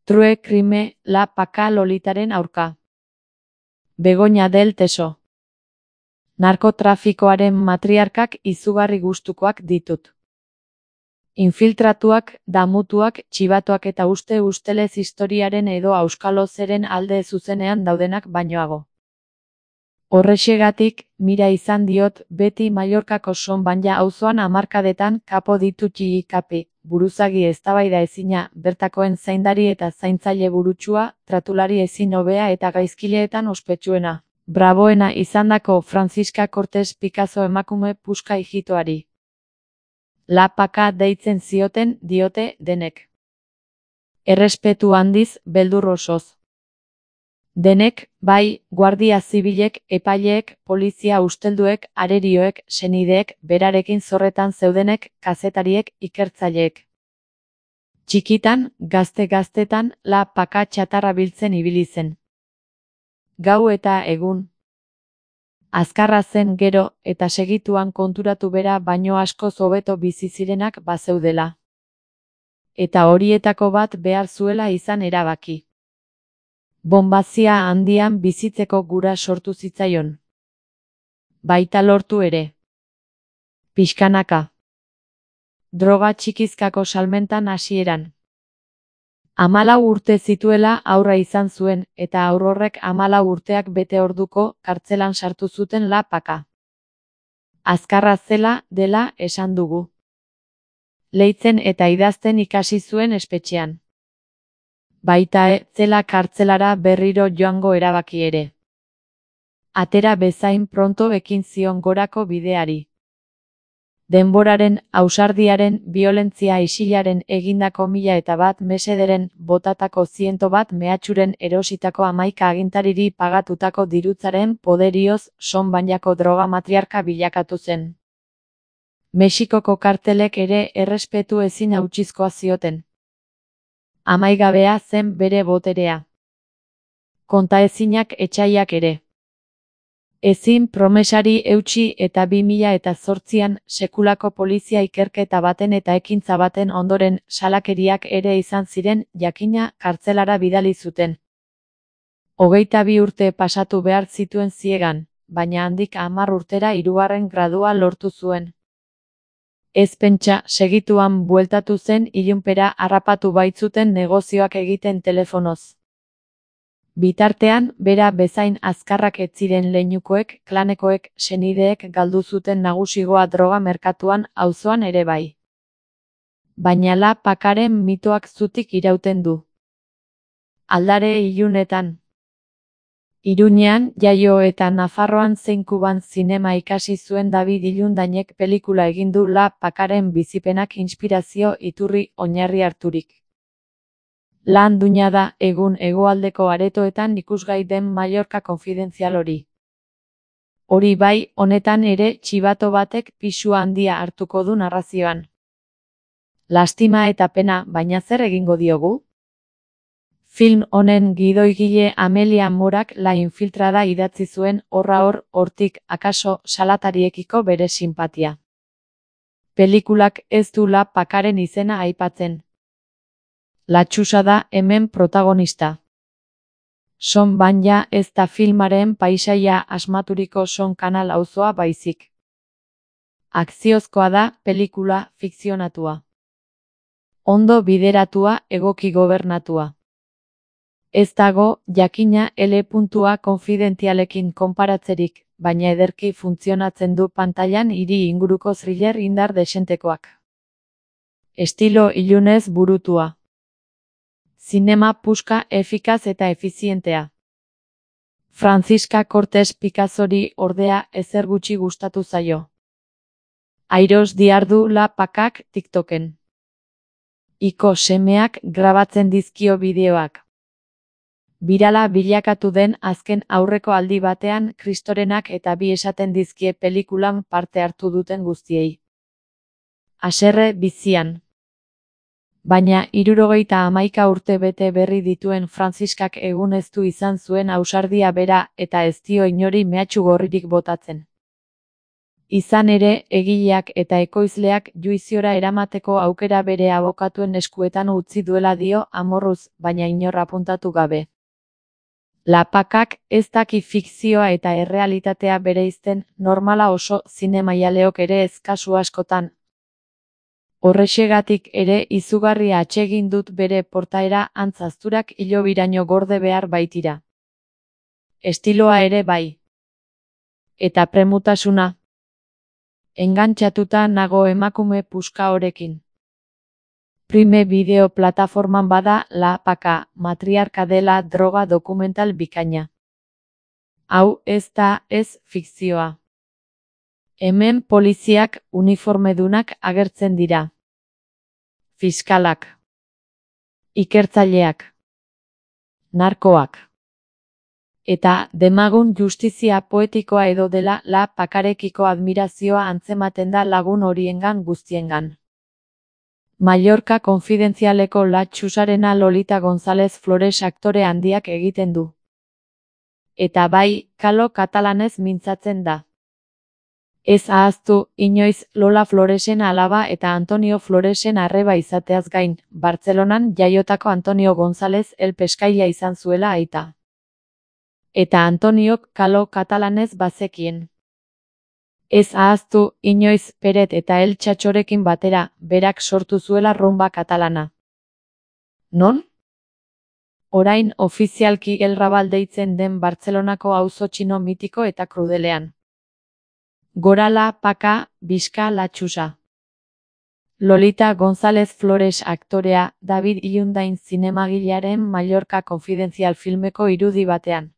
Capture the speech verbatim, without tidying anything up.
True crime, La Paca Lolitaren aurka. Begoña del Teso. Narkotrafikoaren matriarkak izugarri gustukoak ditut. Infiltratuak, damutuak, txibatuak eta uste ustelez historiaren edo auskalozeren alde zuzenean daudenak bainoago. Horrexegatik, mira izan diot, beti Mallorcako Sonbanja auzoan hamarkadetan kapo ditu txigikapi, buruzagi eztabaida ezina, bertakoen zaindari eta zaintzaile burutsua, tratulari ezin hobea eta gaizkileetan ospetsuena, braboena izandako Francisca Cortés Picasso emakume puska ijitoari. La Paca deitzen zioten, diote, denek. Errespetu handiz, beldur osoz. Denek, bai, guardia zibilek, epaileek, polizia ustelduek, arerioek, senideek, berarekin zorretan zeudenek, kazetariek, ikertzaileek. Txikitan, gazte-gaztetan, La Paca txatarra biltzen ibili zen. Gau eta egun. Azkarra zen gero, eta segituan konturatu bera baino askoz hobeto bizi zirenak bazeudela. Eta horietako bat behar zuela izan erabaki. Bombazia handian bizitzeko gura sortu zitzaion. Baita lortu ere. Pixkanaka. Droga txikizkako salmentan hasieran. Hamalau urte zituela aurra izan zuen, eta haur horrek hamalau urteak bete orduko kartzelan sartu zuten La Paca. Azkarra zela dela esan dugu. Leitzen eta idazten ikasi zuen espetxean. Baita e, zela kartzelara berriro joango erabaki ere. Atera bezain pronto ekin zion gorako bideari. Denboraren, ausardiaren, violentzia isilaren egindako mila eta bat mesederen, botatako ziento bat mehatxuren erositako hamaika agintariri pagatutako dirutzaren poderioz Sonbanjako droga matriarka bilakatu zen. Mexikoko kartelek ere errespetu ezin hautsizkoa zioten. Amaigabea zen bere boterea. Kontaezinak etsaiak ere. Ezin promesari eutsi eta bi mila eta zortzian sekulako polizia ikerketa baten eta ekintza baten ondoren salakeriak ere izan ziren, jakina kartzelara bidali zuten. Hogeita bi urte pasatu behar zituen ziegan, baina handik hamar urtera hirugarren gradua lortu zuen. Ez pentsa, segituan bueltatu zen ilunpera harrapatu baitzuten negozioak egiten telefonoz. Bitartean, bera bezain azkarrak ez ziren leinukoek, klanekoek, senideek galdu zuten nagusigoa droga merkatuan auzoan ere bai. Baina La Pacaren mitoak zutik irauten du. Aldare ilunetan. Iruñean, jaio eta Nafarroan zein Kuban zinema ikasi zuen David Ilundainek pelikula egin du La Pacaren bizipenak inspirazio iturri oinarri harturik. Lan duina da, egun hegoaldeko aretoetan ikusgai den Mallorca konfidentzial hori. Hori bai, honetan ere txibato batek pisu handia hartuko du narrazioan. Lastima eta pena, baina zer egingo diogu? Film honen gidoigile Amelia Morak La Infiltrada idatzi zuen horra hor, hortik, akaso, salatariekiko bere sinpatia. Pelikulak ez du La Pacaren izena aipatzen. Latxusa da hemen protagonista. Sonbanja ez da filmaren paisaia asmaturiko Son kanal auzoa baizik. Akziozkoa da pelikula fikzionatua. Ondo bideratua, egoki gobernatua. Ez dago, jakina L puntua konfidentzialekin konparatzerik, baina ederki funtzionatzen du pantailan hiri inguruko thriller indar desentekoak. Estilo ilunez burutua. Zinema puska efikaz eta efizientea. Francisca Cortés Picassori ordea ezer gutxi gustatu zaio. Airos diardu La Pacak TikToken. Iko semeak grabatzen dizkio bideoak. Birala bilakatu den azken aurreko aldi batean Kristorenak eta bi esaten dizkie pelikulan parte hartu duten guztiei. Haserre bizian. Baina hirurogeita hamaika urte bete berri dituen Franziskak egun ez du izan zuen ausardia bera eta ez dio inori mehatxu gorririk botatzen. Izan ere, egileak eta ekoizleak juiziora eramateko aukera bere abokatuen eskuetan utzi duela dio amorruz, baina inor apuntatu gabe. Lapakak ez daki fikzioa eta errealitatea bereizten, normala oso zinemaialeok ere ez kasu askotan. Horrexegatik ere izugarria atsegin dut bere portaera antzazturak hilobiraino gorde behar baitira. Estiloa ere bai. Eta premutasuna. Engantxatuta nago emakume puska horekin. Prime bideo plataforman bada La Paka, matriarka dela droga dokumental bikaina. Hau ez da ez fikzioa. Hemen poliziak uniformedunak agertzen dira. Fiskalak. Ikertzaileak. Narkoak. Eta demagun justizia poetikoa edo dela La Pakarekiko admirazioa antzematen da lagun horiengan guztiengan. Mallorca konfidentzialeko La Txusarena Lolita González Flores aktore handiak egiten du. Eta bai, kalo katalanez mintzatzen da. Ez ahaztu, inoiz Lola Floresen alaba eta Antonio Floresen arreba izateaz gain, Bartzelonan jaiotako Antonio González el Peskaila izan zuela aita. Eta Antoniok kalo katalanez bazekien. Ez ahaztu, inoiz Peret eta El Txatxorekin batera, berak sortu zuela rumba katalana. Non? Orain ofizialki El Rabal deitzen den Bartzelonako auzo txino mitiko eta krudelean. Gora La Paka, bizka La Txusa. Lolita González Flores aktorea, David Ilundain zinemagilearen Mallorca konfidentzial filmeko irudi batean.